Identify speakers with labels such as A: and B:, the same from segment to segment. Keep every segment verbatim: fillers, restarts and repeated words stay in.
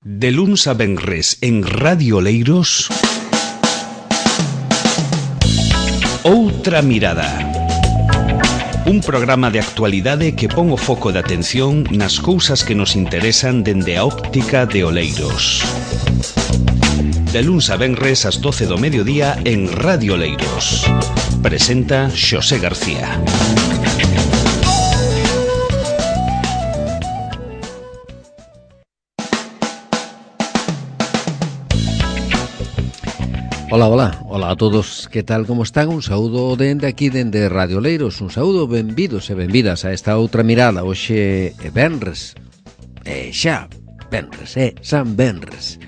A: De luns a venres en Radio Oleiros, Outra Mirada. Un programa de actualidade que pon o foco de atención nas cousas que nos interesan dende a óptica de Oleiros. De luns a venres ás doce do mediodía en Radio Oleiros. Presenta Xosé García.
B: Hola, hola, hola a todos, que tal, como están? Un saúdo dende aquí, dende Radio Oleiros, un saúdo, benvidos e benvidas a esta outra mirada. Hoxe é venres, é xa venres, é San Venres.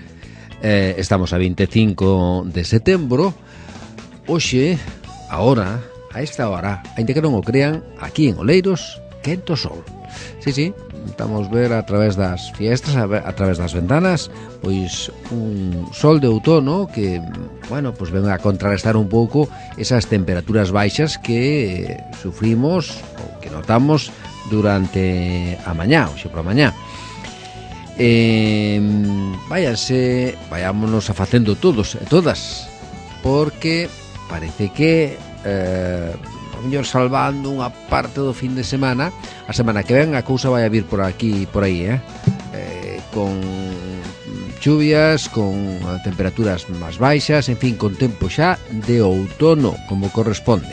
B: Eh, estamos a vinte e cinco de setembro. Hoxe, ahora, a esta hora, ainda que non o crean, aquí en Oleiros, quento sol. Sí, sí, estamos ver a través das fiestas, a, ver, a través das ventanas, pois un sol de outono que, bueno, pois ven a contrarrestar un pouco esas temperaturas baixas que sufrimos ou que notamos durante a mañá, hoxe por a mañá. Eh, váyanse, vayámonos a facendo todos e todas, porque parece que eh, a mellor salvando unha parte do fin de semana, a semana que ven a cousa vai a vir por aquí e por aí, eh? eh con chuvias, con temperaturas máis baixas, en fin, con tempo xa de outono como corresponde.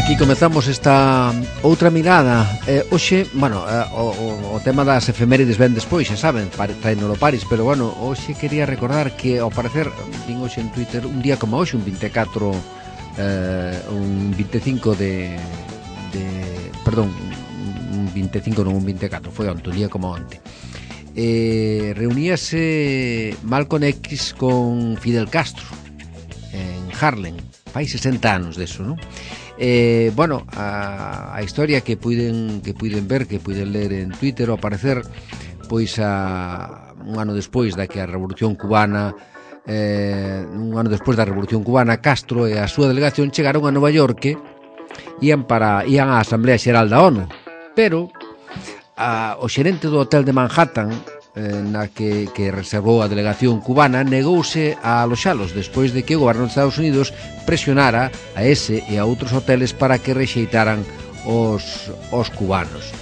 B: Aquí comezamos esta outra mirada. Eh, hoxe, bueno, eh, o, o tema das efemérides ven despois, xa saben, traenolo Paris, pero bueno, hoxe quería recordar que ao parecer, vin hoxe en Twitter, un día como hoxe, un vinte e catro, eh, un vinte e cinco de, de, perdón, un vinte e cinco, non un vinte e catro, foi onte, un día como onte. Eh, reuníase Malcolm X con Fidel Castro en Harlem, fai sesenta anos deso, non? Eh, bueno, a, a historia que puiden que puiden ver, que puiden ler en Twitter ao aparecer, pois a, un ano despois da que a Revolución Cubana eh, un ano despois da Revolución Cubana, Castro e a súa delegación chegaron a Nova York, ian para ian á Asamblea Xeral da ONU, pero a, o xerente do hotel de Manhattan, eh, na que, que reservou a delegación cubana, negouse a aloxalos despois de que o goberno de Estados Unidos presionara a ese e a outros hoteles para que rexeitaran os, os cubanos.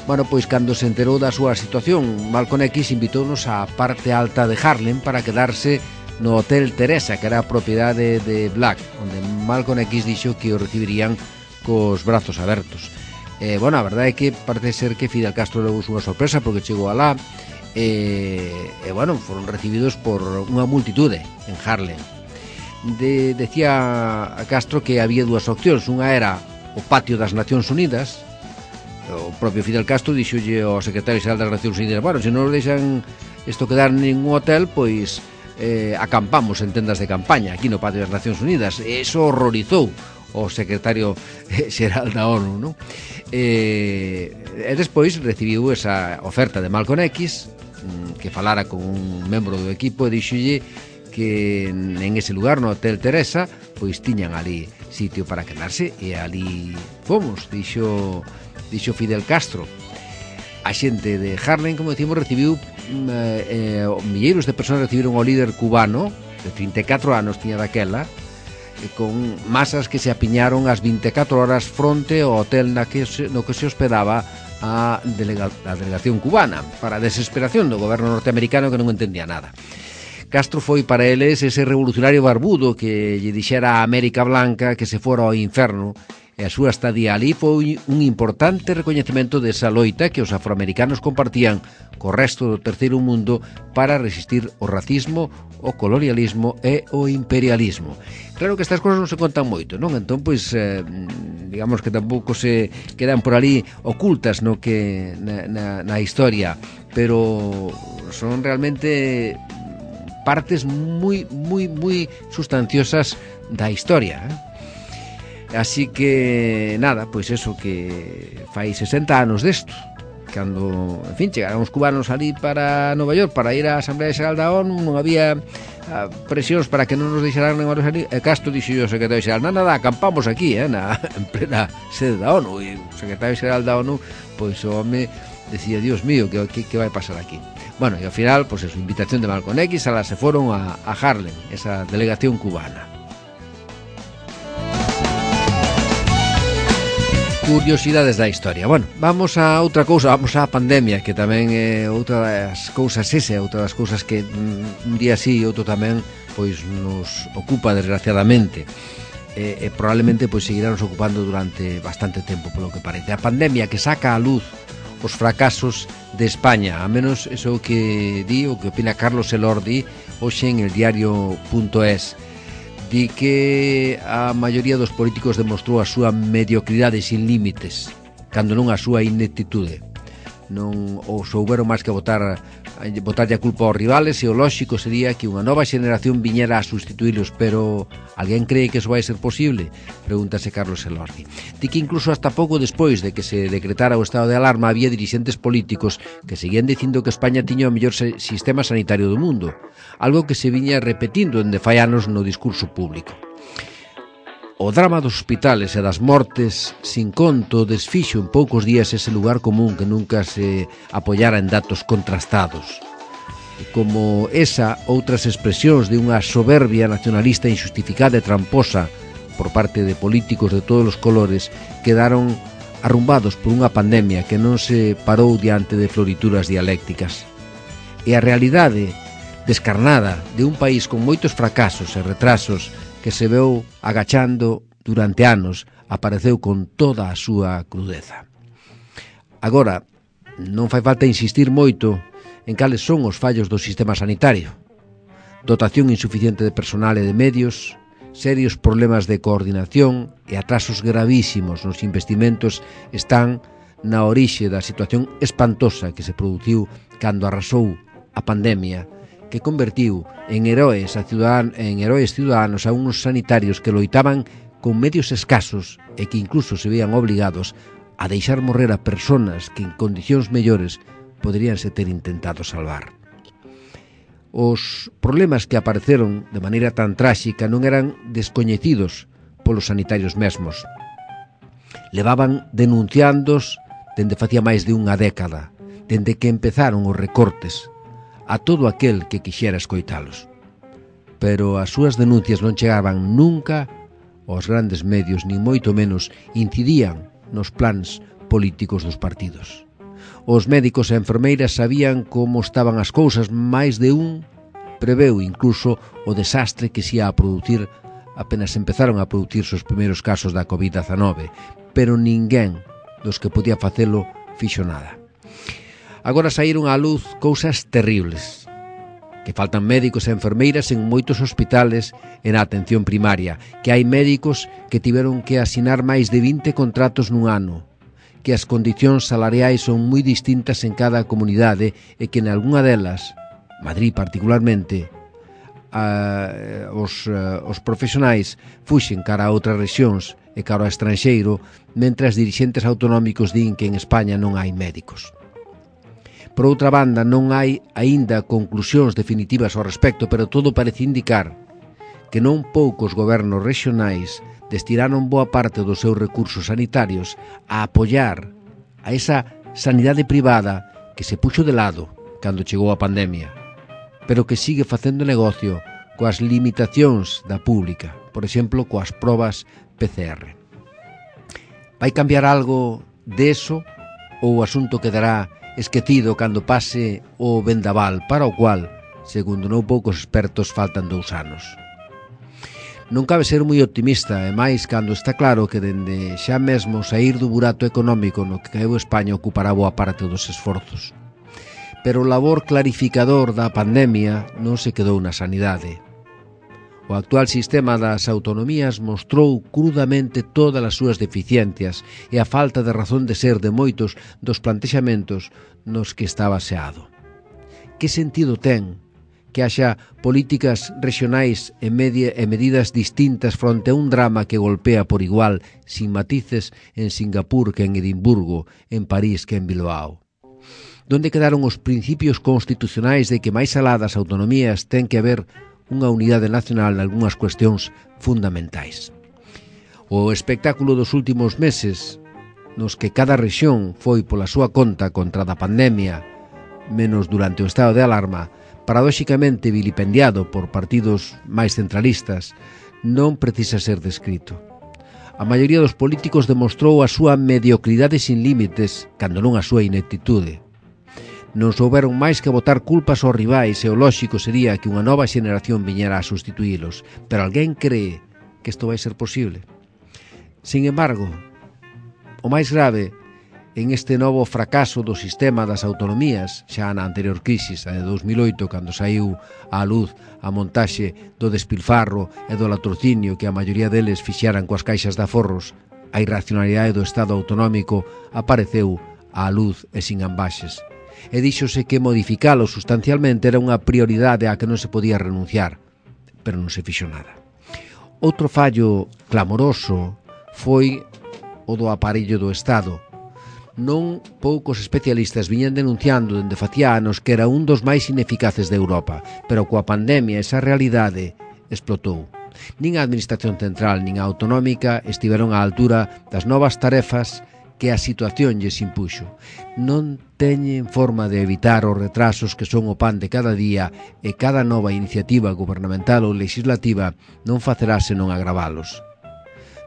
B: Bueno, pois cando se enterou da súa situación, Malcolm X invitounos á parte alta de Harlem para quedarse no Hotel Teresa, que era a propiedade de Black, onde Malcolm X dixo que o recibirían cos brazos abertos. Eh, bueno, a verdade é que parece ser que Fidel Castro levou unha sorpresa porque chegou alá e, e bueno, foron recibidos por unha multitude en Harlem. De, decía a Castro que había dúas opcións, unha era o patio das Nacións Unidas. O propio Fidel Castro dixolle ao secretario xeral das Nacións Unidas: bueno, se non nos deixan isto quedar en ningún hotel, pois eh, acampamos en tendas de campaña aquí no patio das Nacións Unidas. E iso horrorizou o secretario xeral da ONU, non? E, e despois recibiu esa oferta de Malcolm X, que falara con un membro do equipo e dixolle que en ese lugar, no Hotel Teresa, pois tiñan ali sitio para quedarse, e ali fomos, dixo, dixo Fidel Castro. A xente de Harlem, como decimos, recibiu eh, eh, milleiros de persoas recibiron o líder cubano, de trinta e catro anos tiña daquela, con masas que se apiñaron as vinte e catro horas fronte ao hotel na que se, no que se hospedaba a, delega, a delegación cubana, para a desesperación do goberno norteamericano, que non entendía nada. Castro foi para eles ese revolucionario barbudo que lle dixera a América Blanca que se fora ao inferno, e a súa estadía ali foi un importante recoñecemento desa loita que os afroamericanos compartían co resto do terceiro mundo para resistir o racismo, o colonialismo e o imperialismo. Claro que estas cosas non se contan moito, non? Entón, pois, eh, digamos que tampouco se quedan por ali ocultas no que na, na, na historia, pero son realmente partes moi, moi, moi sustanciosas da historia, eh? Así que, nada, pois eso, que fai sesenta anos desto, cando, en fin, chegaron os cubanos ali para Nova York para ir á Asamblea Xeral da ONU, non había a, presións para que non nos deixaran nin horas ali, e Castro dixo o secretario xeral, nada, nada, acampamos aquí, eh, na, en plena sede da ONU, e o secretario xeral da ONU, pois o home decía, Dios mío, que, que, que vai pasar aquí? Bueno, e ao final, pois a invitación de Malcolm X, ala se foron a, a Harlem, esa delegación cubana. Curiosidades da historia. Bueno, vamos a outra cousa, vamos á pandemia, que tamén é outra das cousas ese, outra das cousas que un día sí e outro tamén pois nos ocupa desgraciadamente. E, e probablemente pois seguirá nos ocupando durante bastante tempo, polo que parece. A pandemia que saca a luz os fracasos de España, a menos eso que di, o que opina Carlos Elordi hoxe en el diario punto es. Di que a maioría dos políticos demostrou a súa mediocridade sin límites, cando non a súa ineptitude. Non ou souberon máis que votar botarlle a culpa aos rivales, e o lóxico sería que unha nova xeneración viñera a sustituílos, pero alguén cree que eso vai ser posible? Pregúntase Carlos Elordi. Di que incluso hasta pouco despois de que se decretara o estado de alarma había dirixentes políticos que seguían dicindo que España tiña o mellor sistema sanitario do mundo, algo que se viña repetindo dende fai anos no discurso público. O drama dos hospitales e das mortes sin conto desfixo en poucos días ese lugar común que nunca se apoiara en datos contrastados. E como esa, outras expresións de unha soberbia nacionalista injustificada e tramposa por parte de políticos de todos os colores quedaron arrumbados por unha pandemia que non se parou diante de florituras dialécticas. E a realidade descarnada de un país con moitos fracasos e retrasos que se veu agachando durante anos, apareceu con toda a súa crudeza. Agora, non fai falta insistir moito en cales son os fallos do sistema sanitario. Dotación insuficiente de personal e de medios, serios problemas de coordinación e atrasos gravísimos nos investimentos están na orixe da situación espantosa que se produciu cando arrasou a pandemia, que convertiu en heróis a ciudadan, en heróis ciudadanos a uns sanitarios que loitaban con medios escasos e que incluso se veían obligados a deixar morrer a personas que en condicións mellores poderíanse ter intentado salvar. Os problemas que apareceron de maneira tan tráxica non eran descoñecidos polos sanitarios mesmos. Levaban denunciándos dende facía máis de unha década, dende que empezaron os recortes, a todo aquel que quixera escoitalos. Pero as súas denuncias non chegaban nunca aos grandes medios, ni moito menos incidían nos plans políticos dos partidos. Os médicos e enfermeiras sabían como estaban as cousas, máis de un preveu incluso o desastre que se ia a producir apenas empezaron a producirse os primeiros casos da covid dezanove, pero ninguén dos que podía facelo fixo nada. Agora saíron á luz cousas terribles, que faltan médicos e enfermeiras en moitos hospitales e na atención primaria, que hai médicos que tiveron que asinar máis de vinte contratos nun ano, que as condicións salariais son moi distintas en cada comunidade e que en algunha delas, Madrid particularmente, a, os, a, os profesionais fuxen cara a outras rexións e cara ao estranxeiro, mentre os dirixentes autonómicos din que en España non hai médicos. Por outra banda, non hai aínda conclusións definitivas ao respecto, pero todo parece indicar que non poucos gobernos regionais destinaron boa parte dos seus recursos sanitarios a apoiar a esa sanidade privada que se puxo de lado cando chegou a pandemia, pero que sigue facendo negocio coas limitacións da pública, por exemplo, coas probas P C R. Vai cambiar algo deso ou o asunto quedará esquecido cando pase o vendaval, para o cual, segundo non poucos expertos, faltan dous anos? Non cabe ser moi optimista, e máis cando está claro que dende xa mesmo sair do burato económico no que caeu España ocupará boa parte dos esforzos. Pero o labor clarificador da pandemia non se quedou na sanidade. O actual sistema das autonomías mostrou crudamente todas as súas deficiencias e a falta de razón de ser de moitos dos plantexamentos nos que está baseado. Que sentido ten que haxa políticas regionais e, media, e medidas distintas fronte a un drama que golpea por igual, sin matices, en Singapur que en Edimburgo, en París que en Bilbao? Donde quedaron os principios constitucionais de que máis alá das autonomías ten que haber unha unidade nacional nalgúnas cuestións fundamentais? O espectáculo dos últimos meses, nos que cada rexión foi pola súa conta contra da pandemia, menos durante o estado de alarma, paradóxicamente vilipendiado por partidos máis centralistas, non precisa ser descrito. A maioría dos políticos demostrou a súa mediocridade sin límites, cando non a súa ineptitude. Non souberon máis que botar culpas aos rivais e o lóxico sería que unha nova xeneración viñera a sustituílos, pero alguén cree que isto vai ser posible. Sin embargo, o máis grave en este novo fracaso do sistema das autonomías, xa na anterior crisis, a de dos mil oito, cando saiu á luz a montaxe do despilfarro e do latrocinio que a maioría deles fixeran coas caixas de aforros, a irracionalidade do Estado autonómico apareceu á luz e sin ambaxes. E díxose que modificalo sustancialmente era unha prioridade a que non se podía renunciar, pero non se fixo nada. Outro fallo clamoroso foi o do aparello do Estado. Non poucos especialistas viñan denunciando dende facía anos que era un dos máis ineficaces de Europa, pero coa pandemia esa realidade explotou. Nin a Administración Central nin a Autonómica estiveron á altura das novas tarefas que a situación lles impuxo. Non teñen forma de evitar os retrasos que son o pan de cada día e cada nova iniciativa gubernamental ou legislativa non facerá senón agravalos.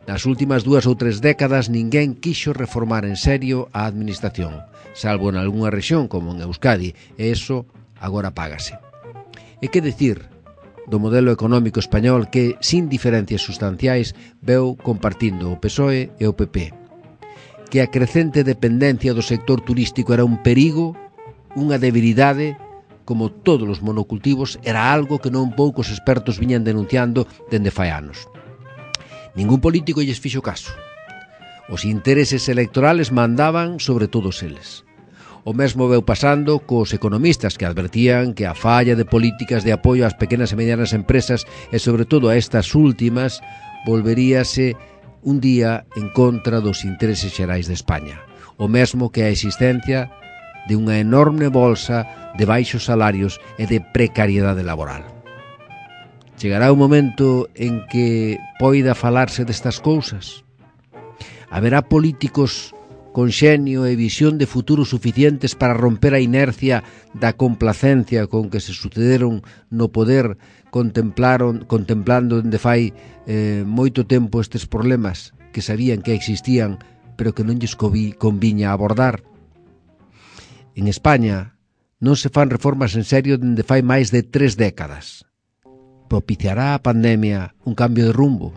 B: Nas últimas dúas ou tres décadas ninguén quixo reformar en serio a administración, salvo en algunha rexión como en Euskadi, e eso agora págase. E que dicir do modelo económico español que, sin diferencias sustanciais, veu compartindo o P S O E e o P P. Que a crecente dependencia do sector turístico era un perigo, unha debilidade, como todos os monocultivos, era algo que non poucos expertos viñan denunciando dende fai anos. Ningún político lles fixo caso. Os intereses electorales mandaban sobre todos eles. O mesmo veu pasando cos economistas que advertían que a falla de políticas de apoio ás pequenas e medianas empresas e sobre todo a estas últimas volveríase un día en contra dos intereses xerais de España. O mesmo que a existencia de unha enorme bolsa de baixos salarios e de precariedade laboral. Chegará un momento en que poida falarse destas cousas? Haberá políticos con xenio e visión de futuro suficientes para romper a inercia da complacencia con que se sucederon no poder contemplaron, contemplando dende fai eh, moito tempo estes problemas que sabían que existían pero que non lles conviña abordar. En España non se fan reformas en serio dende fai máis de tres décadas. Propiciará a pandemia un cambio de rumbo?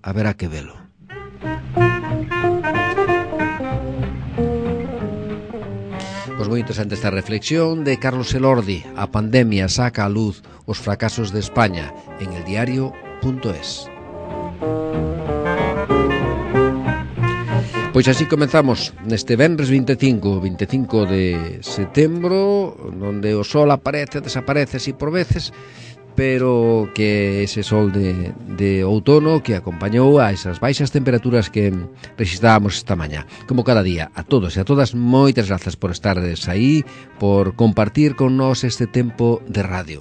B: Haberá que velo. Pois moi interesante esta reflexión de Carlos Elordi. A pandemia saca a luz os fracasos de España en eldiario punto es. Pois así comenzamos neste venres vinte e cinco, vinte e cinco de setembro, onde o sol aparece e desaparece así por veces, pero que ese sol de, de outono que acompañou a esas baixas temperaturas que rexistrábamos esta mañá. Como cada día, a todos e a todas, moitas grazas por estardes aí, por compartir con nós este tempo de radio.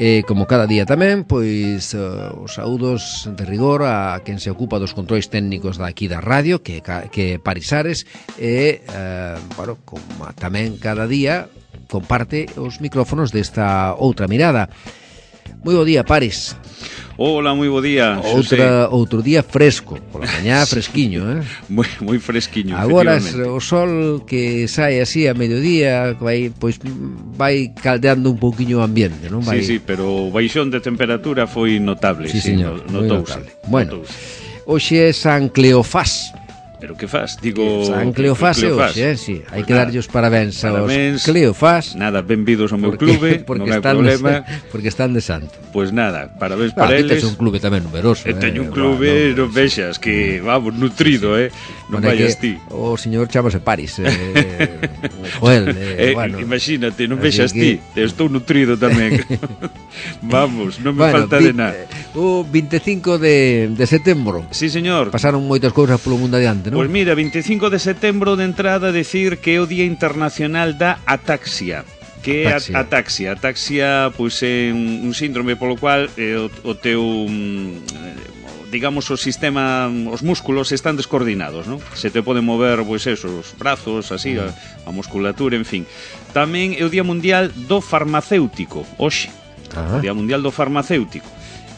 B: E como cada día tamén, pois uh, os saúdos de rigor a quen se ocupa dos controis técnicos daqui da radio, que que Parisares, e, uh, bueno, como tamén cada día comparte os micrófonos desta outra mirada. Moi bo día, Paris.
C: Hola, moi bo día,
B: Outra, outro día fresco, pola mañá fresquiño, eh?
C: Moi, moi fresquiño,
B: agora o sol que sae así a mediodía vai, pois, vai caldeando un pouquiño o ambiente, non? Vai...
C: Sí, sí, pero o baixón de temperatura foi notable.
B: Sí, sí, señor,
C: notouse.
B: Notable. Bueno, hoxe é San Cleofás.
C: Pero que faz? Digo...
B: San Cleofás é hoxe, eh? Sí, hai pues que darlle os parabéns aos Cleofás.
C: Nada, benvidos ao meu clube,
B: porque
C: non hai problema.
B: De, porque están de santo.
C: Pois pues nada, parabéns
B: ah,
C: para eles.
B: Aquí tes un clube tamén numeroso.
C: E teño un clube, no, non vexas, que, vamos, nutrido, sí, sí. eh? Non bueno, vayas ti.
B: O señor chamase Paris, eh, Joel, eh,
C: eh,
B: bueno.
C: Imagínate, non vexas que... ti, estou nutrido tamén. Vamos, non me bueno, falta
B: vi,
C: de nada.
B: O vinte e cinco de, de setembro.
C: Sí, señor.
B: Pasaron moitas cousas polo mundo adiante, non?
C: Pois mira, veinticinco de setembro de entrada decir que é o Día Internacional da Ataxia. Que é a ataxia. Ataxia, pois, é un, un síndrome polo cual eh, o, o teu... Um, digamos, o sistema, os músculos están descoordinados, non? Se te poden mover, pois eso, os brazos, así, a, a musculatura, en fin. Tamén é o Día Mundial do Farmacéutico, hoxe. O Día Mundial do Farmacéutico.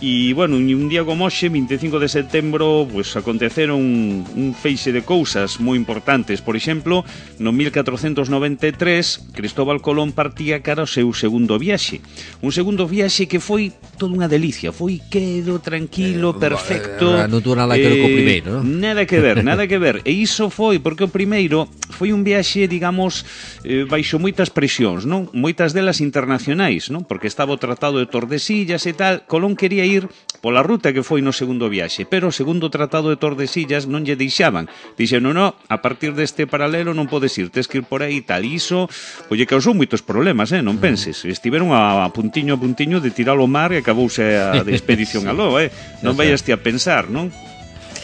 C: E, bueno, un día como hoxe, veinticinco de setembro, pues, aconteceron un, un feixe de cousas moi importantes. Por exemplo, no mil catrocentos noventa e tres, Cristóbal Colón partía cara ao seu segundo viaxe. Un segundo viaxe que foi toda unha delicia. Foi quedo, tranquilo, perfecto.
B: Eh, non tuvo nada que ver co primeiro, non?
C: Nada que ver, nada que ver. E iso foi porque o primeiro foi un viaxe, digamos, eh, baixo moitas presións, non? Moitas delas internacionais, non? Porque estaba o Tratado de Tordesillas e tal. Colón quería ir pola ruta que foi no segundo viaxe, pero o segundo Tratado de Tordesillas non lle deixaban. Dixeron, no, no, a partir deste paralelo non podes ir, tes que ir por aí e tal. E iso, pois, lle causou moitos problemas, eh? Non penses. Estiveron a, a puntiño a puntiño de tirar ao mar e acabouse a de expedición aló, eh? Non vaiaste a pensar, non?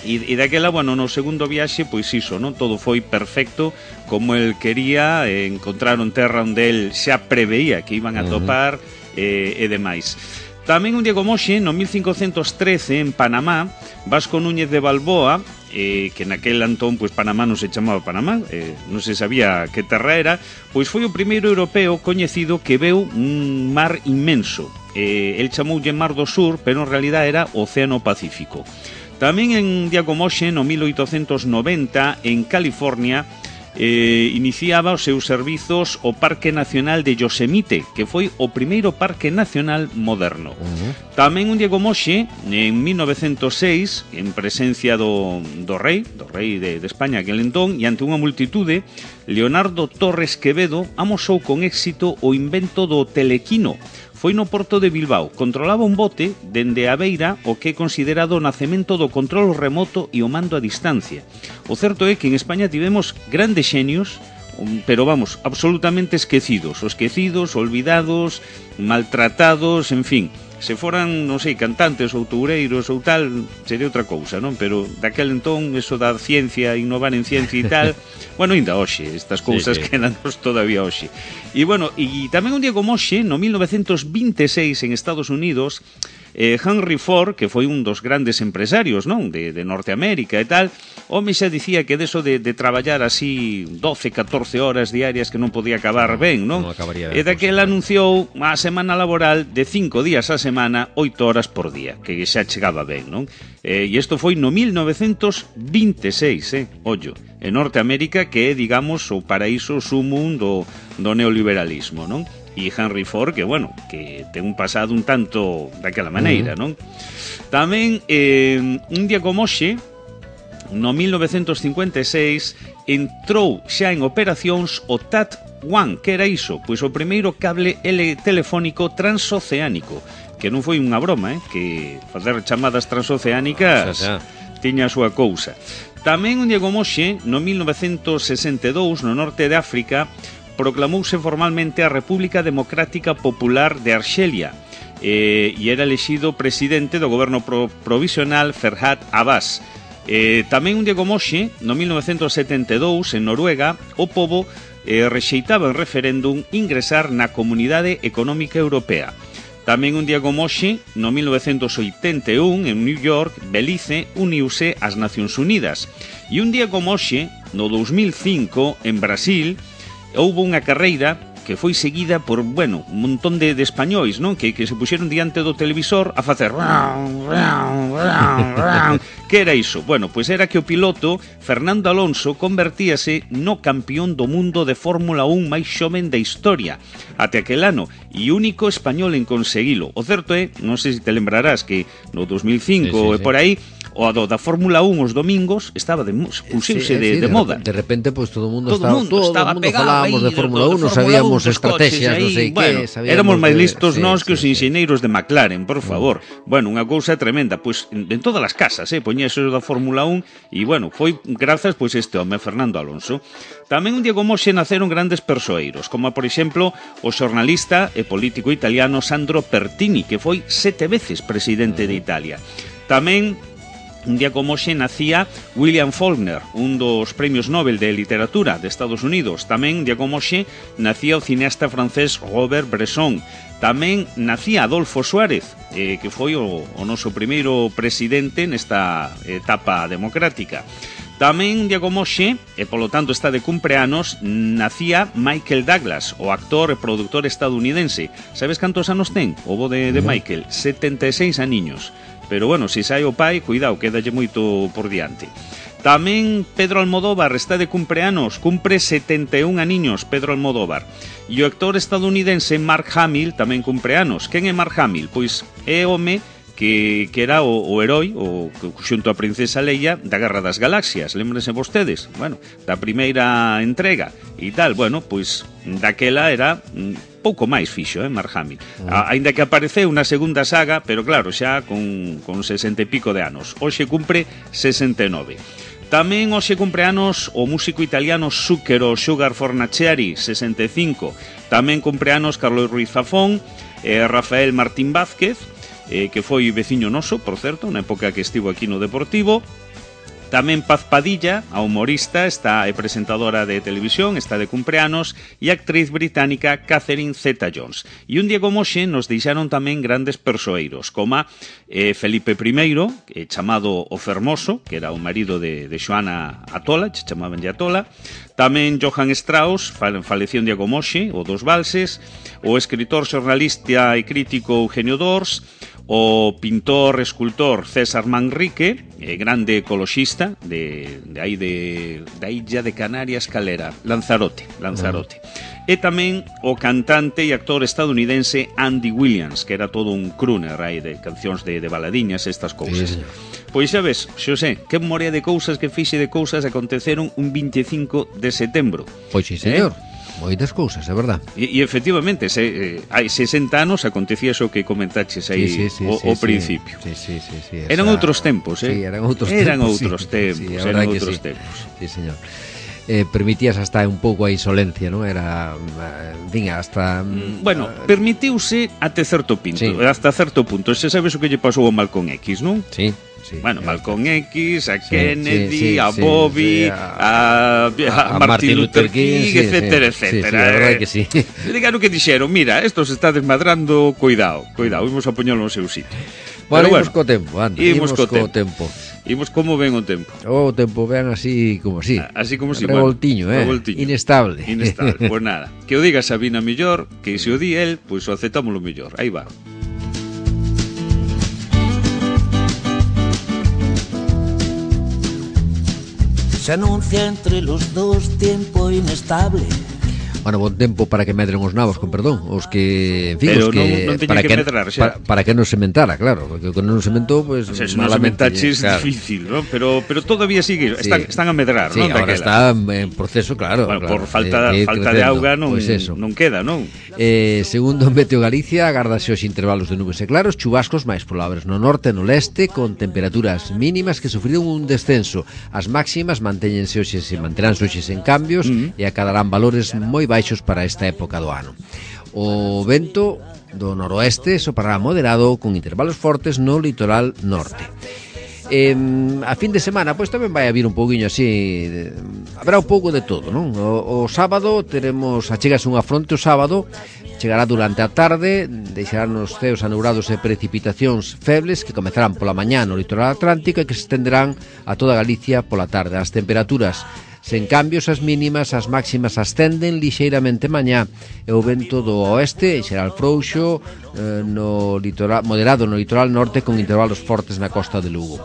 C: E, e daquela, bueno, no segundo viaxe, pois iso, non? Todo foi perfecto como el quería, eh, encontraron terra onde el xa preveía que iban a topar eh, e demais. Tamén un día como hoxe, no mil cincocentos trece, en Panamá, Vasco Núñez de Balboa, eh, que naquel antón, pois, Panamá non se chamaba Panamá, eh, non se sabía que terra era, pois foi o primeiro europeo coñecido que veu un mar inmenso. Eh, el chamoulle Mar do Sur, pero en realidad era Océano Pacífico. Tamén en un día como hoxe, no mil oitocentos noventa, en California, Eh, iniciaba os seus servizos o Parque Nacional de Yosemite, que foi o primeiro parque nacional moderno. Uh-huh. Tamén un día como hoxe, en mil novecentos seis, en presencia do, do rei, do rei de, de España aquel entón, e ante unha multitude, Leonardo Torres Quevedo amosou con éxito o invento do telequino. Foi no porto de Bilbao, controlaba un bote dende a beira o que é considerado o nacemento do control remoto e o mando a distancia. O certo é que en España tivemos grandes xenios, pero vamos, absolutamente esquecidos, o esquecidos, olvidados, maltratados, en fin. Se foran, non sei, cantantes ou toureiros ou tal, sería outra cousa, non? Pero daquel entón, eso da ciencia, innovar en ciencia e tal, bueno, ainda hoxe, estas cousas sí, sí. quedanos todavía hoxe. E, bueno, e tamén un día como hoxe, no mil novecentos vinte e seis, en Estados Unidos, eh, Henry Ford, que foi un dos grandes empresarios, non? De, de Norteamérica e tal, home xa dicía que deso de, de traballar así doce, catorce horas diarias que non podía acabar no, ben, non?
B: non acabaría
C: e daquel anunciou a semana laboral de cinco días a semana, oito horas por día, que xa chegaba ben, non? Eh, e isto foi no mil novecentos vinte e seis, eh? Ollo, en Norteamérica, que é, digamos, o paraíso sumum do, do neoliberalismo, non? E Henry Ford, que, bueno, que ten un pasado un tanto daquela maneira, non? Tamén, eh, un día como hoxe, no mil novecentos cincuenta e seis, entrou xa en operacións o T A T uno, que era iso? Pois o primeiro cable telefónico transoceánico, que non foi unha broma, eh? Que facer chamadas transoceánicas o sea, sea. tiña a súa cousa. Tamén un día como hoxe, no mil novecentos sesenta e dous, no norte de África, proclamouse formalmente a República Democrática Popular de Arxelia eh, e era elexido presidente do goberno pro provisional Ferhat Abbas. Eh, tamén un día como hoxe, no mil novecentos setenta e dous, en Noruega, o pobo eh, rexeitaba en referéndum ingresar na Comunidade Económica Europea. Tamén un día como hoxe, no mil novecentos oitenta e un, en New York, Belize uniuse ás Nacións Unidas. E un día como hoxe, no dous mil cinco, en Brasil, houbo unha carreira que foi seguida por, bueno, un montón de, de españois, non? Que, que se puxeron diante do televisor a facer que era iso? Bueno, pois era que o piloto Fernando Alonso convertíase no campeón do mundo de Fórmula un máis xoven da historia até aquel ano, e único español en conseguilo. O certo é, non sei se te lembrarás, que no dos mil cinco sí, sí, e por aí o do da Fórmula un os domingos estaba de puxeuse sí, de, sí, de, de moda.
B: De repente, pois, pues, todo o mundo
C: todo
B: estaba,
C: mundo
B: todo
C: estaba
B: mundo falábamos de Fórmula un, non sabíamos estrategias, non sei
C: bueno,
B: que,
C: éramos máis listos
B: sí,
C: nós que
B: sí,
C: os enxeneiros de McLaren, por favor. Mm. Bueno, unha cousa tremenda, pois en, en todas as casas, eh, poñese o da Fórmula un e, bueno, foi grazas pois este home, Fernando Alonso. Tamén un día como hoxe naceron grandes persoeiros, como, por exemplo, o xornalista e político italiano Sandro Pertini, que foi sete veces presidente de Italia. Tamén un día como hoxe nacía William Faulkner, un dos premios Nobel de literatura de Estados Unidos. Tamén, un día como hoxe, nacía o cineasta francés Robert Bresson. Tamén nacía Adolfo Suárez, eh, que foi o, o noso primeiro presidente nesta etapa democrática. Tamén, un día como hoxe, e polo tanto está de cumpleanos, nacía Michael Douglas, o actor e productor estadounidense. Sabes cantos anos ten o bo de, de Michael? setenta e seis aniños. Pero bueno, se sai o pai, cuidado, quédalle moito por diante. Tamén Pedro Almodóvar está de cumpleanos, cumpre setenta e un aniños Pedro Almodóvar. E o actor estadounidense Mark Hamill tamén cumpleanos. Quen é Mark Hamill? Pois é home que, que era o, o heroi, o, xunto a princesa Leia, da Guerra das Galaxias. Lémbrense vostedes, bueno, da primeira entrega e tal. Bueno, pois daquela era pouco máis fixo, eh, Mark Hamill. A, ainda que apareceu na segunda saga, pero claro, xa con, con sesenta e pico de anos. Hoxe cumpre sesenta e nove. Tamén hoxe cumpre anos o músico italiano Zucchero Sugar Fornaciari, sesenta e cinco. Tamén cumpre anos Carlos Ruiz Zafón, eh, Rafael Martín Vázquez, eh, que foi veciño noso, por certo, na época que estivo aquí no Deportivo. Tamén Paz Padilla, a humorista, está é presentadora de televisión, está de cumpleanos, e a actriz británica Catherine Zeta-Jones. E un día como hoxe nos deixaron tamén grandes persoeiros, como eh, Felipe primeiro, eh, chamado o Fermoso, que era o marido de, de Xoana Atola, chamaban de Atola. Tamén Johann Strauss, falecía un día como hoxe, o dos valses. O escritor, xornalista e crítico Eugenio Dors. O pintor, escultor César Manrique, eh, grande ecoloxista de, de aí de, da illa de Canarias, calera, Lanzarote, Lanzarote. Uh-huh. E tamén o cantante e actor estadounidense Andy Williams, que era todo un crooner aí de cancións de, de baladiñas, estas cousas. Sí, pois xa ves, Xosé, que morea de cousas, que fixe de cousas aconteceron un veinticinco de setembro.
B: Pois sí, señor. Eh? Moitas cousas, é verdad.
C: E, e efectivamente, se, eh, hai sesenta anos acontecía xo que comentaches aí sí, sí, sí, o,
B: sí,
C: o principio.
B: Sí, sí, sí, sí, esa...
C: Eran outros tempos, eh?
B: Sí, eran outros
C: eran
B: tempos.
C: Outros
B: sí,
C: tempos,
B: sí,
C: eran outros
B: sí.
C: tempos.
B: Sí, señor. Eh, permitías hasta un pouco a insolencia, non? Era, vinga, hasta...
C: Mm, bueno, uh, permitiuse até certo punto, sí. hasta certo punto. Se sabes o que lle pasou a Malcolm X, non?
B: Sí. Sí,
C: bueno, Malcolm X, a
B: sí,
C: Kennedy,
B: sí, sí,
C: a
B: sí,
C: Bobby,
B: sí,
C: a, a, a, a Martin Luther King, King sí, etcétera, sí, etcétera. Sí, sí,
B: a verdade que sí.
C: Digan o que dixeron, mira, esto se está desmadrando, cuidado, cuidado, imos a poñelo no seu sitio.
B: Bueno, imos co tempo, anda, imos co tempo.
C: Imos como ven o tempo.
B: O tempo ven así como así.
C: Así como si,
B: revoltiño,
C: bueno,
B: eh,
C: revoltiño.
B: Inestable.
C: Inestable, pues nada. Que o diga Sabina mellor, que se o di el, pois pues o aceptamos lo mellor. Aí va.
D: Se anuncia entre los dos tiempo inestable.
B: Bueno, bon tempo para que medren os nabos, con perdón, os que, en fin,
C: pero
B: os que
C: non, non
B: para
C: que,
B: que
C: medrar,
B: para, para que non se mentara, claro, porque con non se mentou, pues
C: o sea,
B: malamente,
C: non se claro. É difícil, ¿no? Pero pero todavía sigue, sí. están están a medrar,
B: sí,
C: ¿no?
B: Ahora está en proceso, claro,
C: bueno,
B: claro,
C: por falta
B: de, de
C: falta de auga non
B: pues
C: non queda, non?
B: Eh, segundo Meteo Galicia, agárdase os intervalos de nubes e claros, chubascos máis probables no norte e no leste, con temperaturas mínimas que sufriron un descenso. As máximas mantéñense hoxe, se manteránse hoxe sen cambios, mm-hmm. e acadarán valores moi baixos para esta época do ano. O vento do noroeste soprará moderado con intervalos fortes no litoral norte. Eh, a fin de semana pois tamén vai haber un pouquiño así de, haberá un pouco de todo, non? O, o sábado teremos, achegase unha fronte o sábado, chegará durante a tarde, deixarán os ceos anubrados e precipitacións febles que comezarán pola mañá no litoral atlántico e que se estenderán a toda Galicia pola tarde. As temperaturas sen cambios, as mínimas, as máximas ascenden lixeiramente mañá e o vento do oeste será frouxo eh, no litoral, moderado no litoral norte con intervalos fortes na costa de Lugo.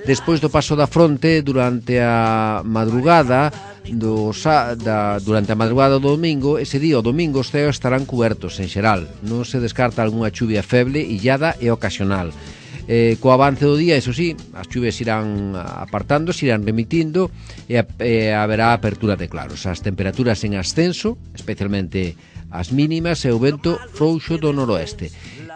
B: Despois do paso da fronte, durante a madrugada do, da, durante a madrugada do domingo, ese día o domingo os ceos estarán cubertos en xeral. Non se descarta algunha chuvia feble, illada e ocasional. Eh, co avance do día, eso sí, as chuves irán apartando, se irán remitindo e, a, e haberá apertura de claros. As temperaturas en ascenso, especialmente as mínimas e o vento frouxo do noroeste.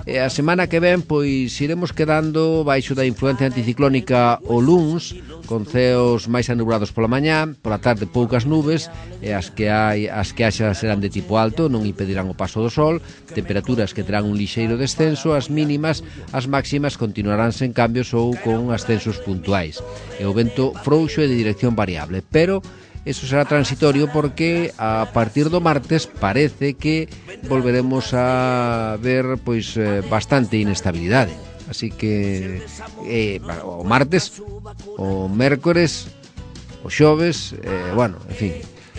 B: E a semana que ven, pois, iremos quedando baixo da influencia anticiclónica o luns, con ceos máis anublados pola mañá, pola tarde poucas nubes, e as que hai as que haxa serán de tipo alto, non impedirán o paso do sol, temperaturas que terán un lixeiro descenso, as mínimas, as máximas continuarán sen cambios ou con ascensos puntuais. E o vento frouxo e de dirección variable, pero eso será transitorio porque a partir do martes parece que volveremos a ver pois eh, bastante inestabilidade. Así que eh, o martes, o mércores, o xoves, eh, bueno, en fin.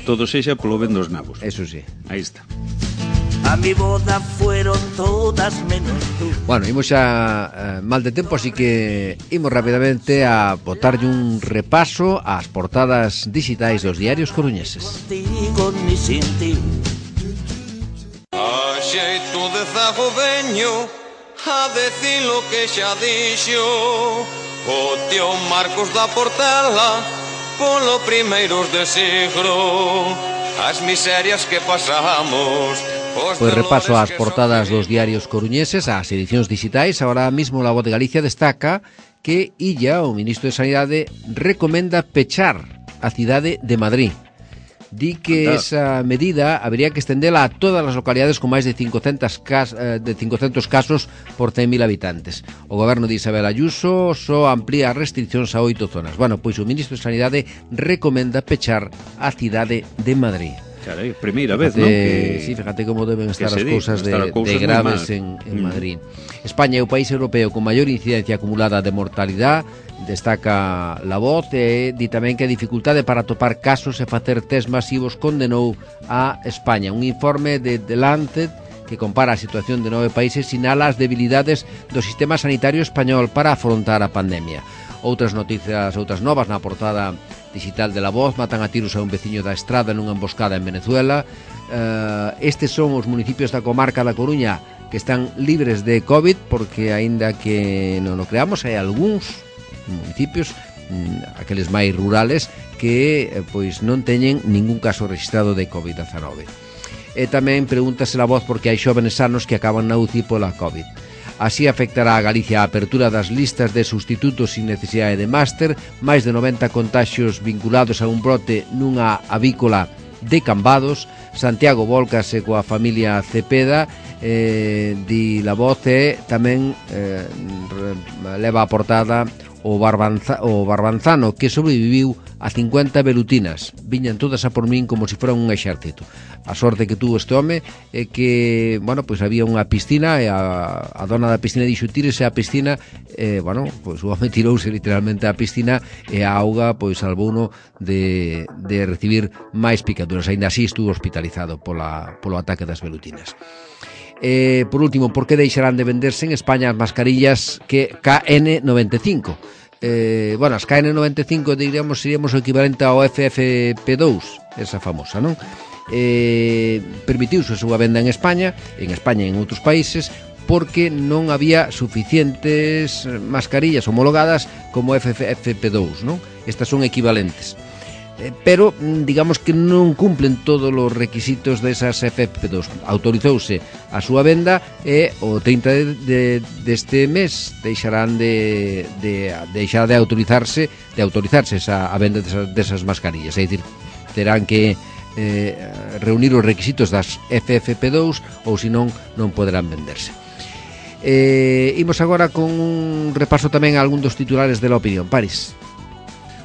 C: Todo sexa polo ben dos nabos.
B: Eso sí.
C: Aí está.
D: A mi boda fueron todas menos tú.
B: Bueno, imos xa eh, mal de tempo, así que imos rapidamente a botarlle un repaso ás portadas digitais dos diarios coruñeses.
D: Contigo ni sin ti.
E: A xeito de zago veño a decir lo que xa dixo o tío Marcos da Portela polo primeiros de siglo as miserias que pasamos.
B: Pois repaso ás portadas dos diarios coruñeses, ás edicións digitais. Ahora mismo La Voz de Galicia destaca que Illa, o ministro de Sanidade, recomenda pechar a cidade de Madrid. Di que Anda. Esa medida habría que estendela a todas as localidades con máis de cincocentos, cas, de cincocentos casos por cen mil habitantes. O goberno de Isabel Ayuso só amplía as restriccións a oito zonas. Bueno, pois o ministro de Sanidade recomenda pechar a cidade de Madrid.
C: Carai, primeira vez,
B: fíjate,
C: non? Que,
B: sí, fíjate como deben estar as cousas de,
C: de
B: graves en, en Madrid. Mm. España é o país europeo con maior incidencia acumulada de mortalidade, destaca La Voz, e di tamén que a dificultade para topar casos e facer test masivos condenou a España. Un informe de The Lancet que compara a situación de nove países sinala as debilidades do sistema sanitario español para afrontar a pandemia. Outras noticias, outras novas na portada digital de La Voz: matan a tiros a un veciño da Estrada nunha emboscada en Venezuela. Uh, estes son os municipios da comarca da Coruña que están libres de COVID, porque aínda que non o creamos, hai algúns municipios, aqueles máis rurales, que pois non teñen ningún caso registrado de COVID diecinueve. E tamén pregúntase La Voz porque hai xóvenes sanos que acaban na U C I pola COVID. Así afectará a Galicia a apertura das listas de sustitutos sin necesidade de máster, máis de noventa contaxios vinculados a un brote nunha avícola de Cambados. Santiago volcase coa familia Cepeda, eh, di La Voz, e tamén eh, leva a portada o, Barbanza, o Barbanzano, que sobreviviu a cincuenta velutinas. Viñan todas a por min como se fora un exército. A sorte que tuvo este home é que, bueno, pois había unha piscina e a, a dona da piscina dixo tírese á piscina, e, bueno, pois o home tirouse literalmente á piscina e a auga, pois, salvouno de, de recibir máis picaduras. Ainda así estuvo hospitalizado pola, polo ataque das velutinas. Eh, por último, por que deixarán de venderse en España as mascarillas que K N noventa e cinco? Eh, bueno, as K N noventa e cinco, diríamos, seríamos o equivalente ao F F P dous, esa famosa, non? Eh, permitiuse a súa venda en España, en España e en outros países, porque non había suficientes mascarillas homologadas como F F P dous, non? Estas son equivalentes. Pero digamos que non cumplen todos os requisitos desas F F P dous. Autorizouse a súa venda e o trinta de, de, deste mes deixarán de, de, deixar de autorizarse de autorizarse esa, a venda desas, desas mascarillas. É dicir, terán que eh, reunir os requisitos das F F P dous ou senón non poderán venderse. Eh, imos agora con un repaso tamén a algún dos titulares de La Opinión. París.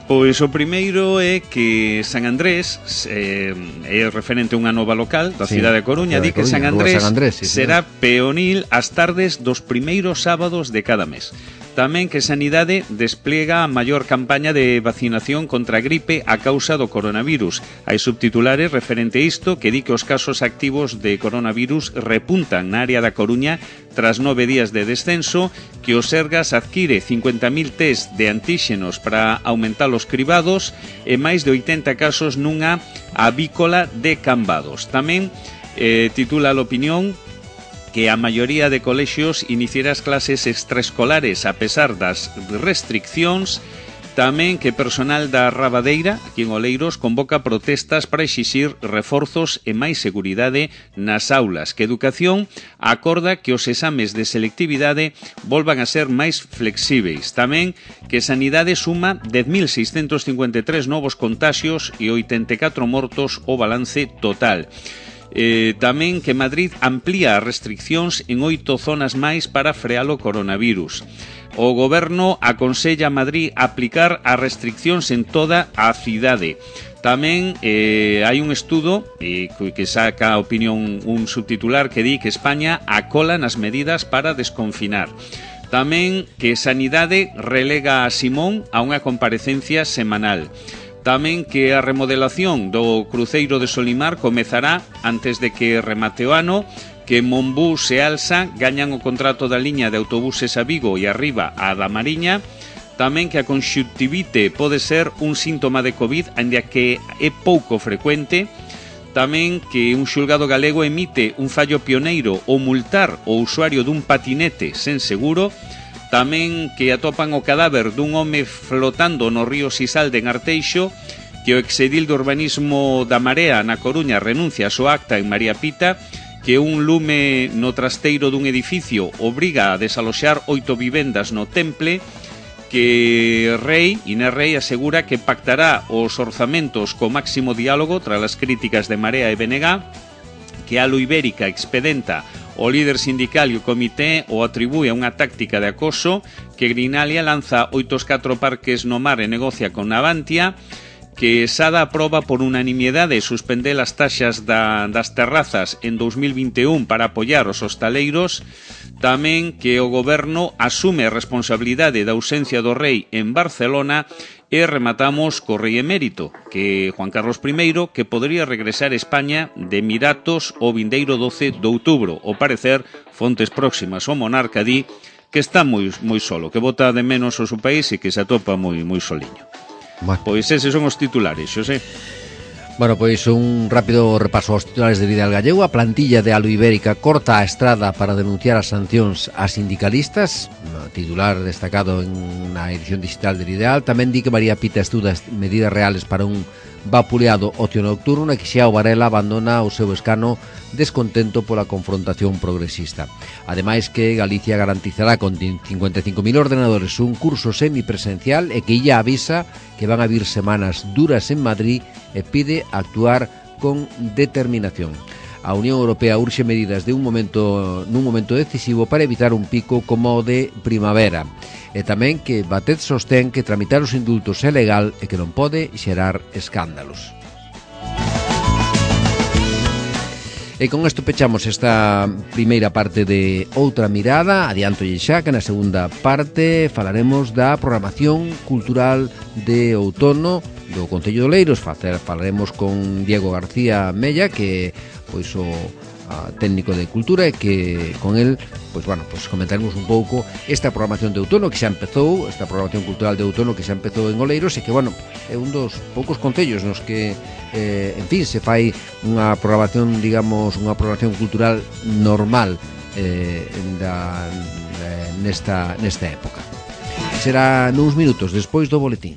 C: Pois o primeiro é que San Andrés eh, é referente a unha nova local da sí, cidade de Coruña, di que San Andrés, San Andrés sí, será sí. peonil as tardes dos primeiros sábados de cada mes. Tamén que Sanidade despliega a maior campaña de vacinación contra a gripe a causa do coronavirus. Hai subtitulares referente a isto que di que os casos activos de coronavirus repuntan na área da Coruña tras nove días de descenso, que o Sergas adquire cincuenta mil test de antíxenos para aumentar os cribados e máis de oitenta casos nunha avícola de Cambados. Tamén eh, titula a Opinión que a maioría de colexios iniciará as clases extraescolares a pesar das restriccións, Tamén que personal da Rabadeira, aquí en Oleiros, convoca protestas para exixir reforzos e máis seguridade nas aulas, que Educación acorda que os exames de selectividade volvan a ser máis flexíveis. Tamén que Sanidade suma dez mil seiscentos cincuenta e tres novos contaxios e oitenta e catro mortos o balance total. Eh, tamén que Madrid amplía as restriccións en oito zonas máis para frear o coronavirus. O Goberno aconsella a Madrid aplicar as restriccións en toda a cidade. Tamén eh, hai un estudo eh, que saca a opinión un subtitular que di que España acola nas medidas para desconfinar. Tamén que Sanidade relega a Simón a unha comparecencia semanal. Tamén que a remodelación do cruceiro de Solimar comezará antes de que remate o ano, que Monbús e Alsa gañan o contrato da liña de autobuses a Vigo e arriba a da Mariña. Tamén que a conxuntivite pode ser un síntoma de COVID, aínda que é pouco frecuente. Tamén que un xulgado galego emite un fallo pioneiro ao multar o usuario dun patinete sen seguro. Tamén que atopan o cadáver dun home flotando no río Sisalde en Arteixo, que o exedil de urbanismo da Marea na Coruña renuncia a súa acta en María Pita, que un lume no trasteiro dun edificio obriga a desaloxar oito vivendas no Temple, que Rei, Inés Rei, asegura que pactará os orzamentos co máximo diálogo tras as críticas de Marea e B N G, que Alo Ibérica expedenta o líder sindical e o comité o atribúe a unha táctica de acoso, que Grinalia lanza oitos catro parques no mar e negocia con Navantia, que Sada aproba por unanimidade suspender as taxas da, das terrazas en dous mil vinte e un para apoiar os hostaleiros. Tamén que o Goberno asume a responsabilidade da ausencia do Rei en Barcelona. E rematamos co Rei Emérito, que Juan Carlos primeiro, que podría regresar a España de Emiratos o vindeiro doce de outubro. O parecer, fontes próximas ao monarca di que está moi, moi solo, que bota de menos o seu país e que se atopa moi, moi soliño. Bueno. Pois eses son os titulares, Xosé.
B: Bueno, pois un rápido repaso aos titulares de Ideal Gallego. A plantilla de Alo Ibérica corta a estrada para denunciar as sancións a sindicalistas. Titular destacado en na edición digital del Ideal. Tamén di que María Pita estuda medidas reales para un vapuleado ocio nocturno e que Xiao Varela abandona o seu escano descontento pola confrontación progresista. Ademais que Galicia garantizará con cincuenta e cinco mil ordenadores un curso semipresencial e que illa avisa que van a vir semanas duras en Madrid e pide actuar con determinación. A Unión Europea urxe medidas de un momento nun momento decisivo para evitar un pico como o de primavera. E tamén que Batet sostén que tramitar os indultos é legal e que non pode xerar escándalos. E con isto pechamos esta primeira parte de Outra Mirada. Adiantolle xa que na segunda parte falaremos da programación cultural de outono do Concello de Oleiros. Falaremos con Diego García Mella, que pois o a, técnico de cultura, e que con el pois bueno, pois comentaremos un pouco esta programación de outono que xa empezou, esta programación cultural de outono que xa empezou en Oleiros e que, bueno, é un dos poucos concellos nos que eh, en fin, se fai unha programación, digamos, unha programación cultural normal eh, da, nesta, nesta época. Será nuns minutos despois do boletín.